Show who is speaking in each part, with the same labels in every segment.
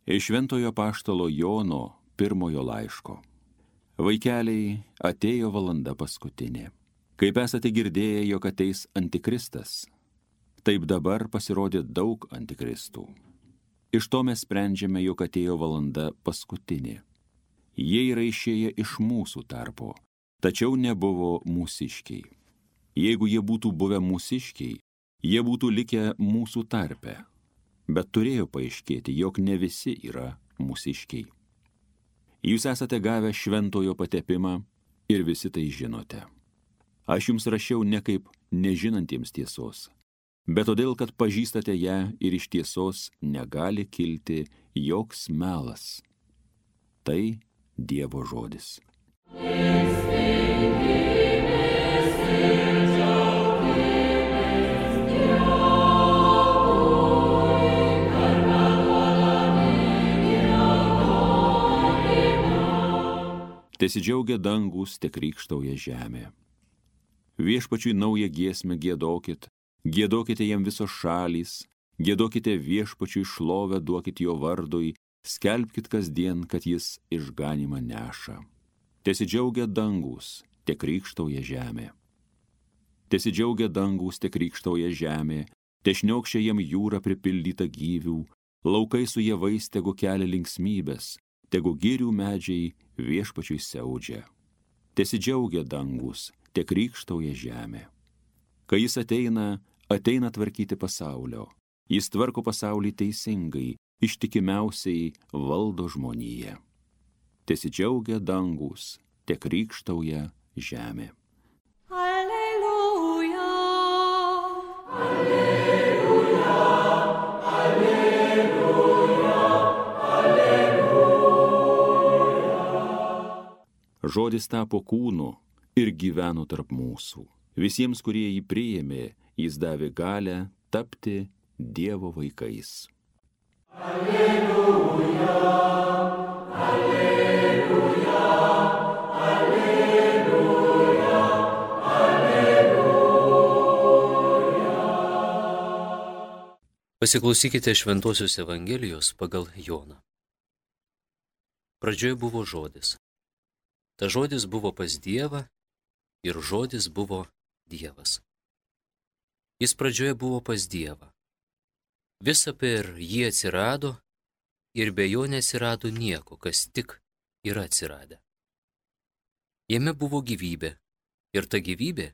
Speaker 1: Iš Šventojo apaštalo Jono pirmojo laiško. Vaikeliai, atėjo valanda paskutinė. Kaip esate girdėję, jog ateis antikristas, taip dabar pasirodė daug antikristų. Iš to mes sprendžiame, jog atėjo valanda paskutinė. Jie yra išėję iš mūsų tarpo, tačiau nebuvo mūsiškiai. Jeigu jie būtų buvę mūsiškiai, jie būtų likę mūsų tarpe. Bet turėjo paaiškėti, jog ne visi yra mūsiškiai. Jūs esate gavę šventojo patepimą ir visi tai žinote. Aš jums rašiau ne kaip nežinantiems tiesos, bet todėl, kad pažįstate ją ir iš tiesos negali kilti joks melas. Tai Dievo žodis. Tesidžiaugia dangus, te krykštauja žemė. Viešpačiui naują giesmę giedokit, giedokite jam visos šalys, giedokite viešpačiui šlovę, duokit jo vardui, skelbkit kasdien, kad jis išganymą neša. Tesidžiaugia dangus, te krykštauja žemė. Tesidžiaugia dangus, te krykštauja žemė, te šniokščia jam jūra pripildyta gyvių, laukai su javais tegu kelia linksmybės, tegu girių medžiai viešpačiui siaudžia. Tesidžiaugia dangus, te krykštauja žemė. Kai jis ateina tvarkyti pasaulio. Jis tvarko pasaulį teisingai, ištikimiausiai valdo žmoniją. Tesidžiaugia dangus, te krykštauja žemė.
Speaker 2: Alleluja, alleluja, alleluja, alleluja.
Speaker 1: Žodis tapo kūnu ir gyveno tarp mūsų. Visiems, kurie jį priėmė, jis davė galią tapti Dievo vaikais.
Speaker 2: Alleluja, alleluja, alleluja, alleluja.
Speaker 3: Pasiklausykite Šventosios Evangelijos pagal Joną. Pradžioje buvo žodis. Ta žodis buvo pas Dievą ir žodis buvo Dievas. Jis pradžioje buvo pas Dievą. Visa per jį atsirado ir be jo neatsirado nieko, kas tik yra atsiradę. Jame buvo gyvybė ir ta gyvybė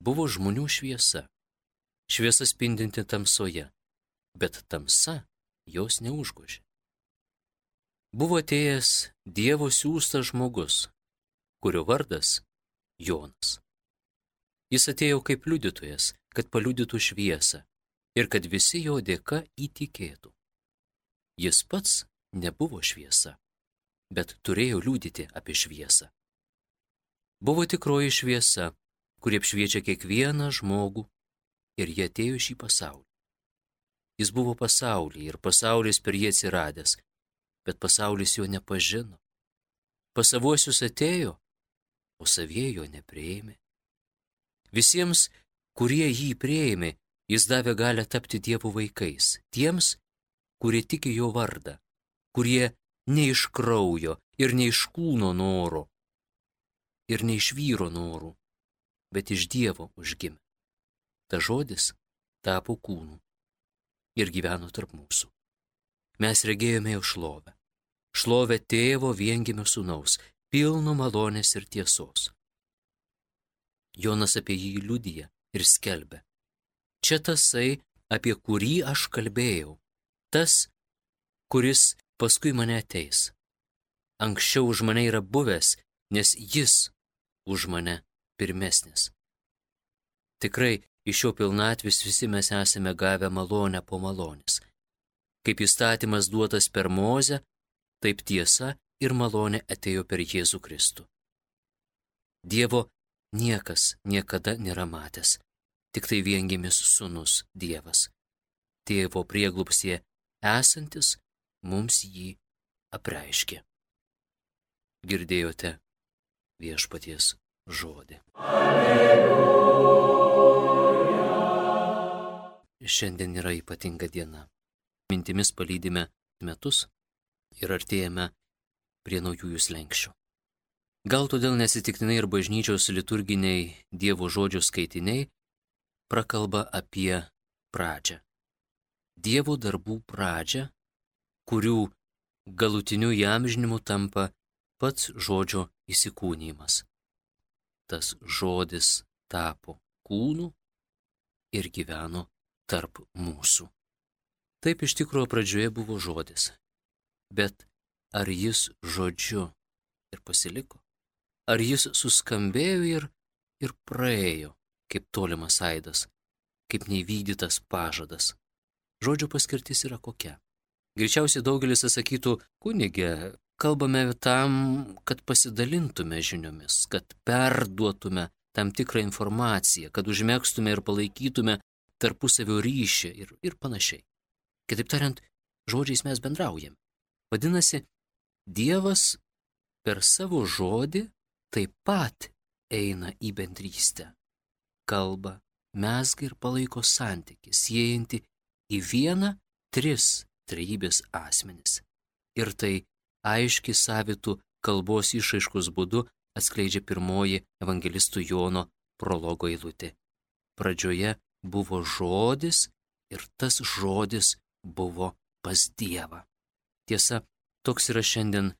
Speaker 3: buvo žmonių šviesa. Šviesa spindinti tamsoje, bet tamsa jos neužgožė. Buvo atėjęs Dievo siųstas žmogus, kurio vardas Jonas. Jis atėjo kaip liudytojas, kad paliudytų šviesą ir kad visi jo dėka įtikėtų. Jis pats nebuvo šviesa, bet turėjo liudyti apie šviesą. Buvo tikroji šviesa, kuri apšviečia kiekvieną žmogų ir jie atėjo į šį pasaulį. Jis buvo pasaulyje ir pasaulis per jį atsiradęs, bet pasaulis jo nepažino. Pas savuosius atėjo, o savieji jo nepriėmė. Visiems, kurie jį priėmė, jis davė galią tapti Dievo vaikais, tiems, kurie tiki jo vardą, kurie ne iš kraujo ir ne iš kūno norų, ir ne iš vyro norų, bet iš Dievo užgimė. Ta žodis tapo kūnu ir gyveno tarp mūsų. Mes regėjome jo šlovę, šlovę tėvo viengimio sūnaus, pilno malonės ir tiesos. Jonas apie jį liudija ir skelbia. Čia tasai, apie kurį aš kalbėjau, tas, kuris paskui mane ateis. Anksčiau už mane yra buvęs, nes jis už mane pirmesnis. Tikrai iš jo pilnatvės visi mes esame gavę malonę po malonės. Kaip įstatymas duotas per Mozę, taip tiesa ir malonė atėjo per Jėzų Kristų. Dievo niekas niekada nėra matęs, tik tai viengimis sūnus Dievas. Tėvo prieglobstyje esantis mums jį apreiškė. Girdėjote viešpaties žodį. Alleluja. Šiandien yra ypatinga diena. Mintimis palydime metus, ir artėjame prie naujųjų slenksčių. Gal todėl nesitiktinai ir bažnyčios liturginiai Dievo žodžių skaitiniai prakalba apie pradžią. Dievo darbų pradžią, kurių galutiniu įamžinimu tampa pats žodžio įsikūnijimas. Tas žodis tapo kūnu ir gyveno tarp mūsų. Taip iš tikrųjų pradžioje buvo žodis, bet ar jis žodžiu ir pasiliko? Ar jis suskambėjo ir praėjo, kaip tolimas aidas, kaip neįvykdytas pažadas? Žodžio paskirtis yra kokia? Greičiausiai daugelis atsakytų, kunige, kalbame tam, kad pasidalintume žiniomis, kad perduotume tam tikrą informaciją, kad užmegztume ir palaikytume tarpusavio ryšį ir panašiai. Kitaip tariant, žodžiais mes bendraujame. Vadinasi, Dievas per savo žodį taip pat eina į bendrystę. Kalba, mezga ir palaiko santykį, siejantį į vieną trejybės asmenis. Ir tai aiškiai savitų kalbos išraiškos būdu atskleidžia pirmoji evangelistų Jono prologo eilutė. Pradžioje buvo žodis ir tas žodis buvo pas Dievą. Tiesa, toks yra šiandien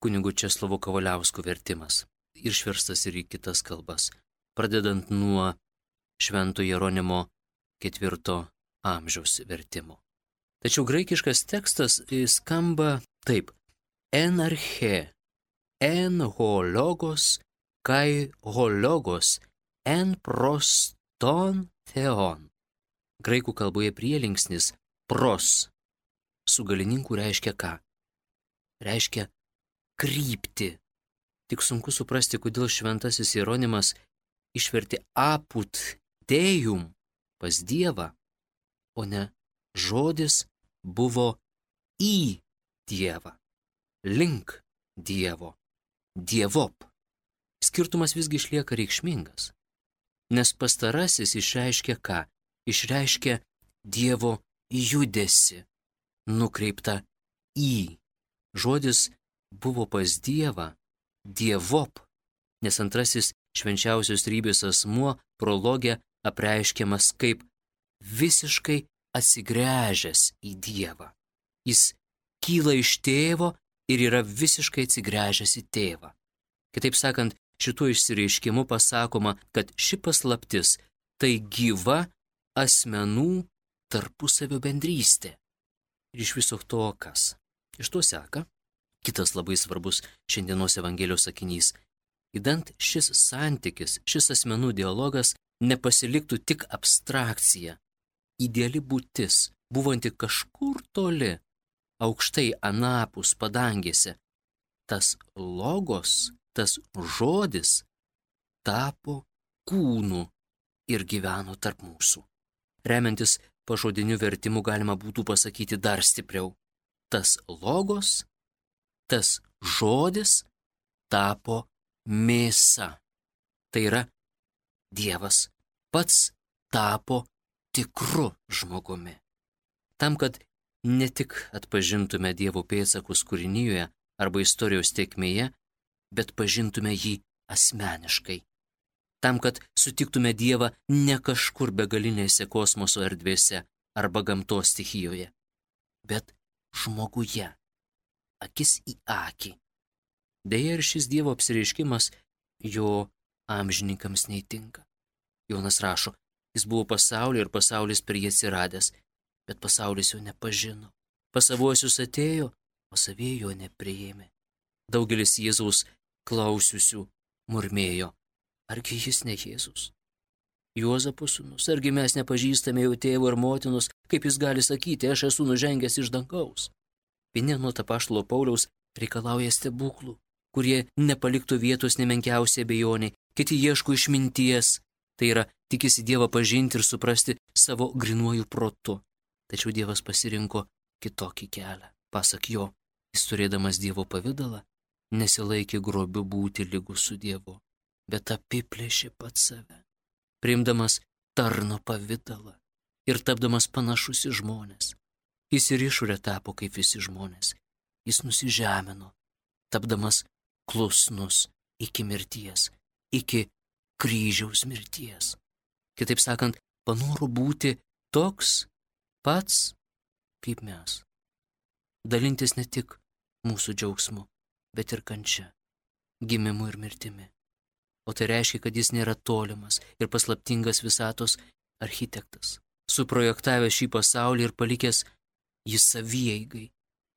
Speaker 3: kunigo Česlovo Kavaliausko vertimas, išverstas ir į kitas kalbas, pradedant nuo Švento Jeronimo 4 amžiaus vertimo. Tačiau graikiškas tekstas skamba taip: en arche, en hologos, kai hologos, en proston theon. Graikų kalboje prielinksnis pros su galininku reiškia ką? Reiškia kryptį. Tik sunku suprasti, kodėl šventasis Jeronimas išvertė apud deum pas Dievą, o ne žodis buvo į Dievą, link Dievo, dievop. Skirtumas visgi išlieka reikšmingas, nes pastarasis išreiškia ką? Išreiškia Dievo judesį, nukreiptą į. Žodis buvo pas Dievą, dievop, nes antrasis švenčiausios trejybės asmuo prologe apreiškiamas kaip visiškai atsigręžęs į Dievą. Jis kyla iš tėvo ir yra visiškai atsigręžęs į tėvą. Kitaip sakant, šituo išsireiškimu pasakoma, kad ši paslaptis tai gyva asmenų tarpusavio bendrystė. Ir iš viso to kas? Iš to seka kitas labai svarbus šiandienos Evangelijos sakinys. Idant šis santykis, šis asmenų dialogas nepasiliktų tik abstrakcija, ideali būtis, buvanti kažkur toli, aukštai anapus padangėse, tas logos, tas žodis tapo kūnu ir gyveno tarp mūsų. Remiantis pažodiniu vertimu galima būtų pasakyti dar stipriau. Tas logos, tas žodis tapo mėsa. Tai yra, Dievas pats tapo tikru žmogumi. Tam, kad ne tik atpažintume Dievo pėdsakus kūrinijoje arba istorijos tėkmėje, bet pažintume jį asmeniškai. Tam, kad sutiktume Dievą ne kažkur begalinėse kosmoso erdvėse arba gamtos stichijoje, bet žmoguje, akis į akį. Deja, ir šis Dievo apsireiškimas jo amžininkams neįtinka. Jonas rašo, jis buvo pasaulyje ir pasaulis per jį atsiradęs, bet pasaulis jo nepažino. Pas savuosius atėjo, o savieji jo nepriėmė. Daugelis Jėzaus klausiusių murmėjo, argi jis ne Jėzus? Juozapo sūnus, argi mes nepažįstame jau tėvo ir motinos, kaip jis gali sakyti, aš esu nužengęs iš dangaus? Vieni nuo apaštalo Pauliaus reikalauja stebuklų, kurie nepaliktų vietos nemenkiausiai abejoniai, kiti ieško išminties, tai yra tikisi Dievą pažinti ir suprasti savo grynuoju protu. Tačiau Dievas pasirinko kitokį kelią. Pasak jo, jis turėdamas Dievo pavidalą, nesilaikė grobiu būti lygus su Dievu, bet apiplėšė pats save, priimdamas tarno pavidalą ir tapdamas panašus į žmones. Jis ir išorę tapo kaip visi žmonės, jis nusižemino, tapdamas klusnus iki mirties, iki kryžiaus mirties. Kitaip sakant, panoro būti toks pats kaip mes. Dalintis ne tik mūsų džiaugsmu, bet ir kančia, gimimu ir mirtimi. O tai reiškia, kad jis nėra tolimas ir paslaptingas visatos architektas, suprojektavęs šį pasaulį ir palikęs jį savieigai,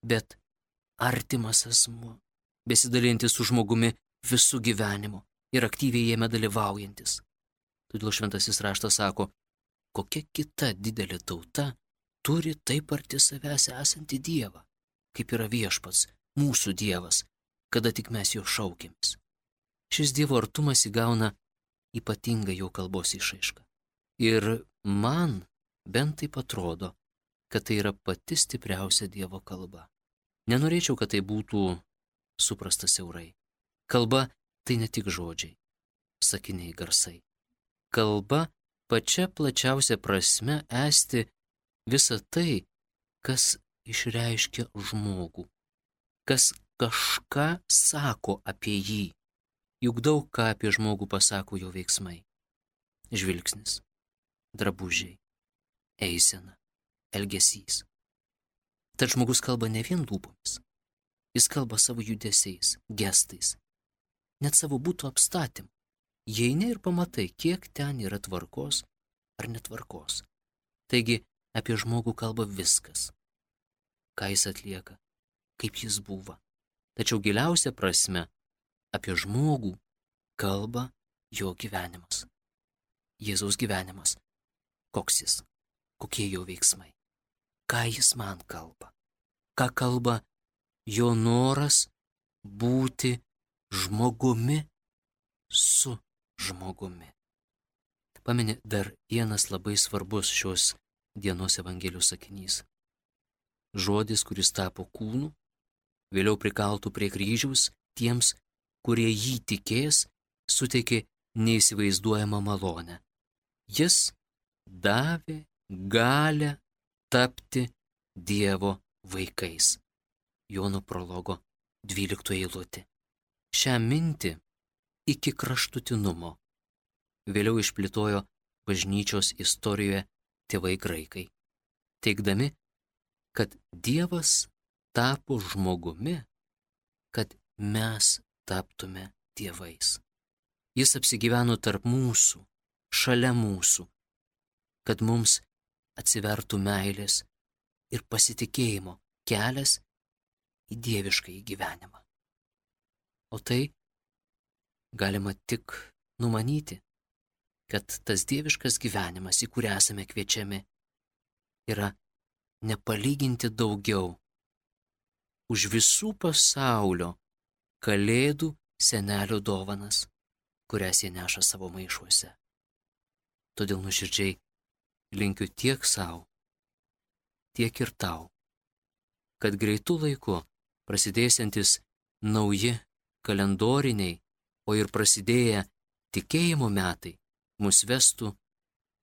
Speaker 3: bet artimas asmuo, besidalintis su žmogumi visų gyvenimu ir aktyviai jame dalyvaujantis. Todėl šventasis raštas sako, kokia kita didelė tauta turi taip arti savęs esantį Dievą, kaip yra viešpats, mūsų Dievas, kada tik mes jo šaukėmės. Šis Dievo artumas įgauna ypatingą jo kalbos išraišką. Ir man bent taip atrodo, kad tai yra pati stipriausia Dievo kalba. Nenorėčiau, kad tai būtų suprasta siaurai. Kalba tai ne tik žodžiai, sakiniai, garsai. Kalba pačia plačiausia prasme esti visa tai, kas išreiškia žmogų, kas kažką sako apie jį. Juk daug ką apie žmogų pasako jo veiksmai. Žvilgsnis, drabužiai, eisena, elgesys. Tad žmogus kalba ne vien lūpomis, jis kalba savo judesiais, gestais, net savo būtų apstatymu. Įeini ir pamatai, kiek ten yra tvarkos ar netvarkos. Taigi apie žmogų kalba viskas, ką jis atlieka, kaip jis buvo. Tačiau giliausia prasme apie žmogų kalba jo gyvenimas. Jėzaus gyvenimas. Koks jis? Kokie jo veiksmai? Ką jis man kalba? Ką kalba jo noras būti žmogumi su žmogumi? Pameni dar vienas labai svarbus šios dienos Evangelijos sakinys. Žodis, kuris tapo kūnu, vėliau prikaltų prie kryžiaus tiems, kurie jį tikės, suteikė neįsivaizduojamą malonę. Jis davė galią tapti Dievo vaikais. Jono prologo 12 eilutė. Šią mintį iki kraštutinumo vėliau išplėtojo bažnyčios istorijoje tėvai graikai, teigdami, kad Dievas tapo žmogumi, kad mes taptume dievais. Jis apsigyveno tarp mūsų, šalia mūsų, kad mums atsivertų meilės ir pasitikėjimo kelias į dieviškąjį gyvenimą. O tai galima tik numanyti, kad tas dieviškas gyvenimas, į kurį esame kviečiami, yra nepalyginti daugiau už visų pasaulio kalėdų senelio dovanas, kurias jie neša savo maišuose. Todėl nuoširdžiai linkiu tiek savo, tiek ir tau, kad greitų laiku prasidėsiantis nauji kalendoriniai, o ir prasidėję tikėjimo metai mus vestų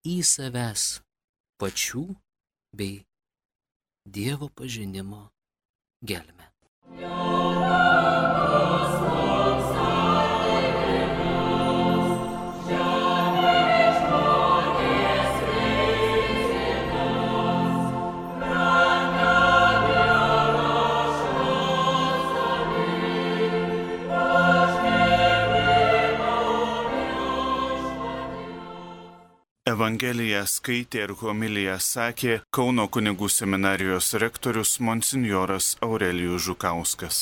Speaker 3: į savęs pačių bei Dievo pažinimo gelmę.
Speaker 4: Evangeliją skaitė ir homiliją sakė Kauno kunigų seminarijos rektorius monsinjoras Aurelijus Žukauskas.